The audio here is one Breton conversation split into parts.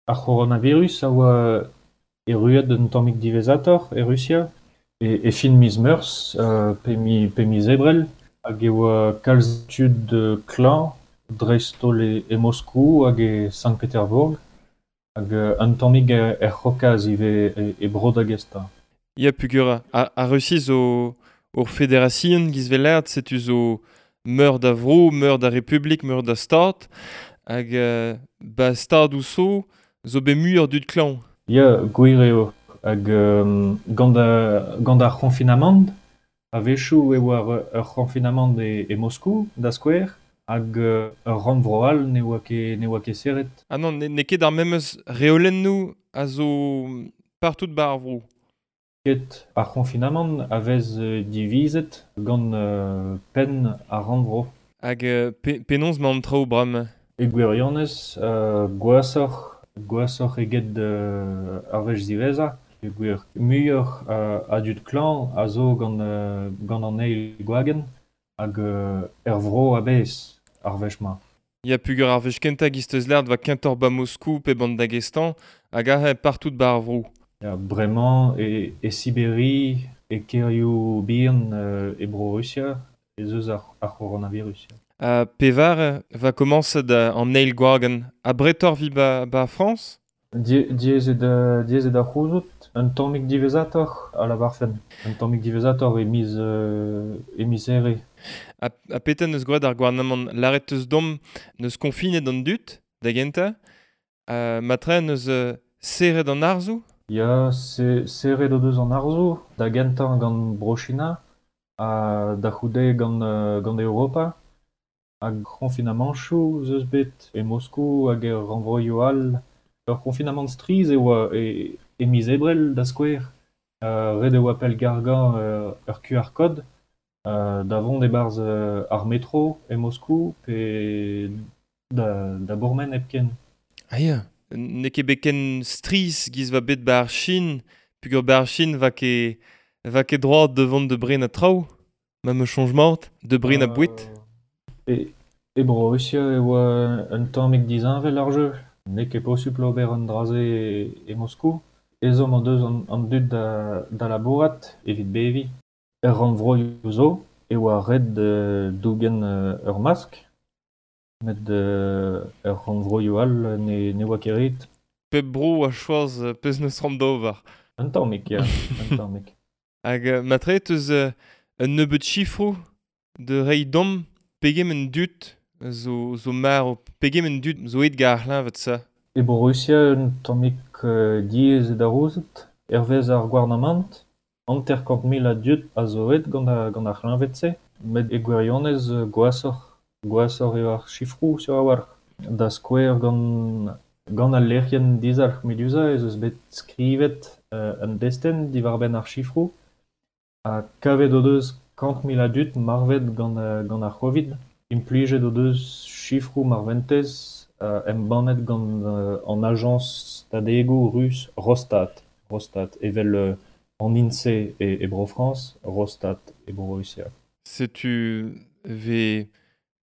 Ar c'horonavirus a oa erruet un tammig diwezhatoc'h e Rusia, e fin miz Meurzh pe miz Ebrel, hag e oa kalz tud klañv, dreist-holl e Moskou hag e Sankt-Peterbourg, hag un tammig er C'haokaz ivez e Bro-Daghestan. Ya, peogwir ar Rusi zo ur federasion giz 'vez lâret, setu zo meur da vro, meur da republik, meur da stad, hag ba stadoù zo zo bet muioc'h dud klañv. Ya, gwir eo. Hag gant ar c'honfinamant, a-wechoù e oa ur c'honfinamant e Moskou, da skouer, hag ur rannvro all ne oa ket serret. Ah non, n'eo ket ar memes reolennoù a zo partout 'ba ar vro. Ket ar c'honfinamant a vez divizet gant penn ar rannvro. Hag penaos 'mañ an traoù bremañ? E gwirionez, gwashoc'h eget ar wech ziwezhañ. Peogwir muioc'h a dud klañv a zo gant an eil gwagenn hag er vro a-bezh ar wech-mañ. Ya, peogwir ar wech kentañ 'giz 'teus lâret 'oa kentoc'h 'ba Moskou pe 'ban Daghestan hag aze partout 'ba ar vro. Ya, bremañ e Siberi, e kêrioù bihan e Bro-Rusia ez eus ar c'horonavirus. Ha pevar 'va komañset an eil gwagenn. Abretoc'h 'vit 'ba Frañs? Diaes eo da c'houzout. Un tammig diwezhatoc'h a lavarfen. Un tammig diwezhatoc'h e miz Here. Ha petra 'neus graet ar gouarnamant? Lâret 'teus deomp 'neus konfinet an dud, da gentañ. Matre 'neus serret an harzoù? Ya, serret o deus an harzoù, da gentañ gant Bro-China ha da c'houde gant Europa. Hag konfinamañchoù 'z eus bet e Moskou hag er rannvroioù all. Ur konfinamant strizh e oa e miz Ebrel, da skouer. Ret e oa pellgargañ ur QR kod da vont e-barzh ar metro e Moskou pe da bourmen hepken. Ah ya, n'eo ket bet ken strizh 'giz 'oa bet 'ba ar Chin, peogwir 'ba ar Chin 'va ket droad da vont da brenañ traoù, ma 'm eus soñj mat, da brenañ boued. E Bro-Rusia e oa un tammig disheñvel ar jeu. N'eo ket posupl ober an dra-se e Moskou. Ezhomm o deus an dud da labourat evit beviñ. Er rannvroioù zo e oa ret dougen ur maskl, met er rannvroioù all ne oa ket ret. Pep bro a choaz pezh 'neus c'hoant d'ober. Un tammig, ya, un tammig. Hag matre 'teus un nebeud sifroù da reiñ deomp pegement dud zo marv, pegement dud zo aet gant ar c'hleñved-se? E Bro-Rusia un tammig diaes eo da c'houzout. Hervez ar gouarnamant, 50,000 a dud a zo aet gant ar c'hleñved-se, met e gwirionez gwashoc'h eo ar sifroù sur a-walc'h. Da skouer gant al lec'hienn dizalc'h Medusa ez eus bet skrivet un destenn diwar-benn ar sifroù ha kavet o deus 100,000 a dud marvet gant ar C'hovid. Implijet o deus sifroù marventez embannet gant an ajañs stadegoù rus Rosstat, Rosstat evel an INSEE e Bro-Frañs, Rosstat e Bro-Rusia. Setu 'vez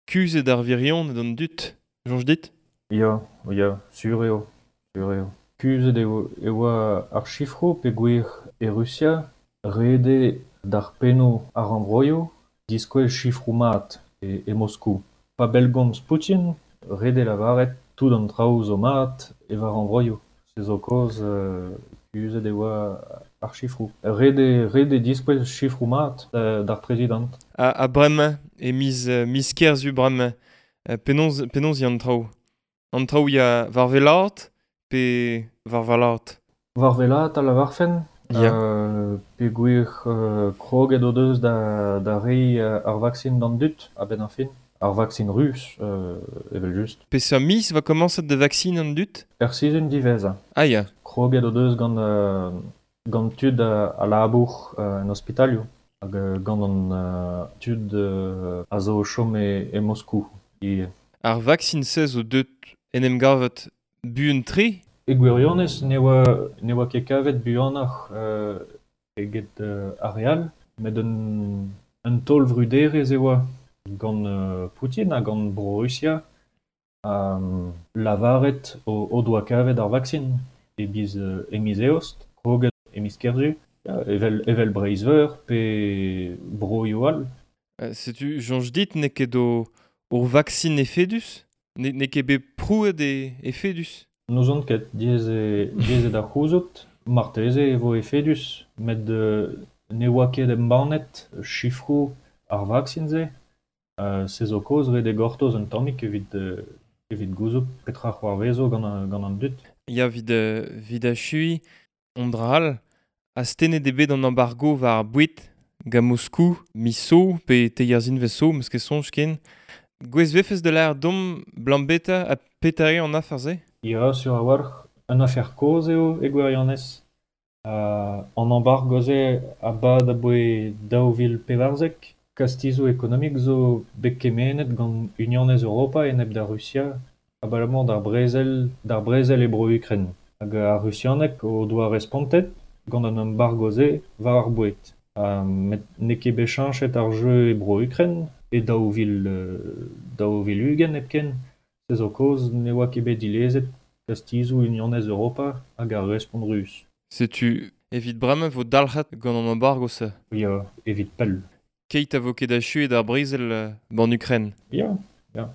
kuzhet ar wirionez d'an dud, soñj dit? Ya, ya, sur eo, sur eo. Kuzhet e oa ar sifroù peogwir e Rusia ret eo d'ar pennoù ar rannvroioù diskouez sifroù mat e Moskou. Pa bellgomz Poutin, ret eo lavaret tout an traoù zo mat e war rannvroioù. Se zo kaoz kuzhet e oa ar sifroù. Ret eo diskouez sifroù mat d'ar prezidant. Ha bremañ, e miz Kerzu bremañ, penaos eo an traoù? An traoù ya war wellaat pe war wallaat? War wellaat a lavarfen. Peogwir kroget o deus da reiñ ar vaksin d'an dud a-benn ar fin. Ar vaksin rus, evel-just. Peseurt miz 'va komañset da vaksinañ an dud? Er sizhun diwezhañ. Ah ya. Kroget o deus gant tud a labour en ospitalioù hag gant an tud a zo o chom e Moskou ivez. Ar vaksin-se zo deuet en em gavet buan-tre? E gwirionez ne oa ket kavet buanoc'h eget ar re all, met un taol vruderezh e oa gant Poutin ha gant Bro-Rusia. Ha lavaret o doa kavet ar vaksin e biz e miz Eost, kroget e miz Kerzu, evel Breizh-Veur pe broioù all. Setu, soñj dit n'eo ket ur vaksin efedus? N'eo ket bet prouet efedus? N'ouzon ket, diaes eo da c'houzout. Marteze e vo efedus, met ne oa ket embannet sifroù ar vaksin-se. Se zo kaoz ret eo gortoz un tammig evit gouzout petra c'hoarvezo gant an dud. Ya, evit achuiñ, un dra all, astennet eo bet an embargo war ar boued gant Moskou, miz zo pe teir zinvezh zo, 'meus ket soñj ken. Gouest 'vefes da lâret deomp 'blam petra ha petra eo an afer-se? Ya, sur a-walc'h, un afer kozh eo e gwirionez. An embargo-se a bad aboae 2014. Kastizoù ekonomik zo bet kemennet gant Unionez Europa enep da Rusia abalamour d'ar brezel e Bro-Ukren. Hag ar Rusianed o doa respontet gant an embargo-se war ar boued. Met n'eo ket bet cheñchet ar jeu e Bro-Ukren e 2020 hepken. Se zo kaoz ne oa ket bet dilezet kastizoù Unionez Europa hag ar respont ruz. Setu evit bremañ vo dalc'het gant an embargo-se. Ya, evit pell. Keit a vo ket achuet ar brezel ban Ukren. Ya, ya.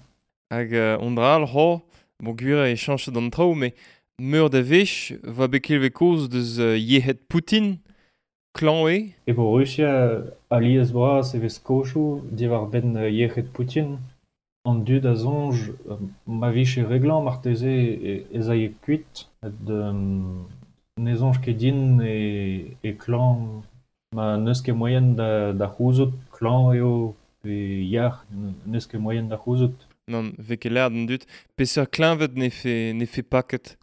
Hag on dra all c'ho, bon gwir eo cheñchet an traoù, met meur da wech va bet klevet kaoz deus yec'hed Poutine, klañv eo. E bro Rusia, alies bras e vez kaozioù diwar-benn yec'hed Poutine. An dud a soñj ma vije re glañv marteze ez ae kuit. Met ne soñj ket din e klañv. Ma n'eus ket moaien da c'houzout klañv eo pe yac'h, n'eus ket moaien da c'houzout. Nann, 'vez ket lâret an dud. Peseurt kleñved 'nefe paket?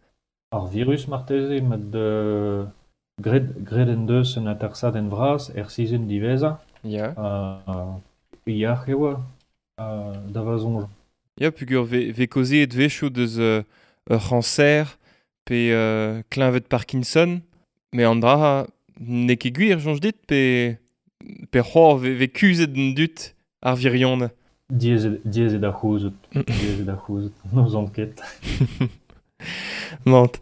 Ar virus marteze, met graet en deus un atersadenn vras er sizhun diwezhañ. Ya. Yac'h e oa, da va soñj. Ya, peogwir 'vez kaozeet 'wechoù deus ur c'hañser pe kleñved Parkinson, met an dra n'eo ket gwir, soñj dit, pe c'hoazh 'vez kuzhet an dud ar wirionez? Diaes eo da c'houzout, diaes eo da c'houzout, n'ouzon ket. Mat.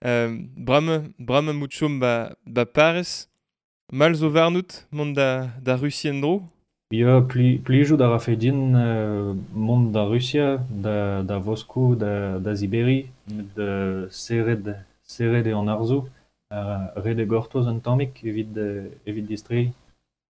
Bremañ 'mout chom ba Paris. Mall zo warnout mont da Rusi en-dro? Ya, plijout a rafe din mont da Rusia, da Voskou, da Siberi, met serret eo an harzoù. Ret eo gortoz un tammig evit distreiñ.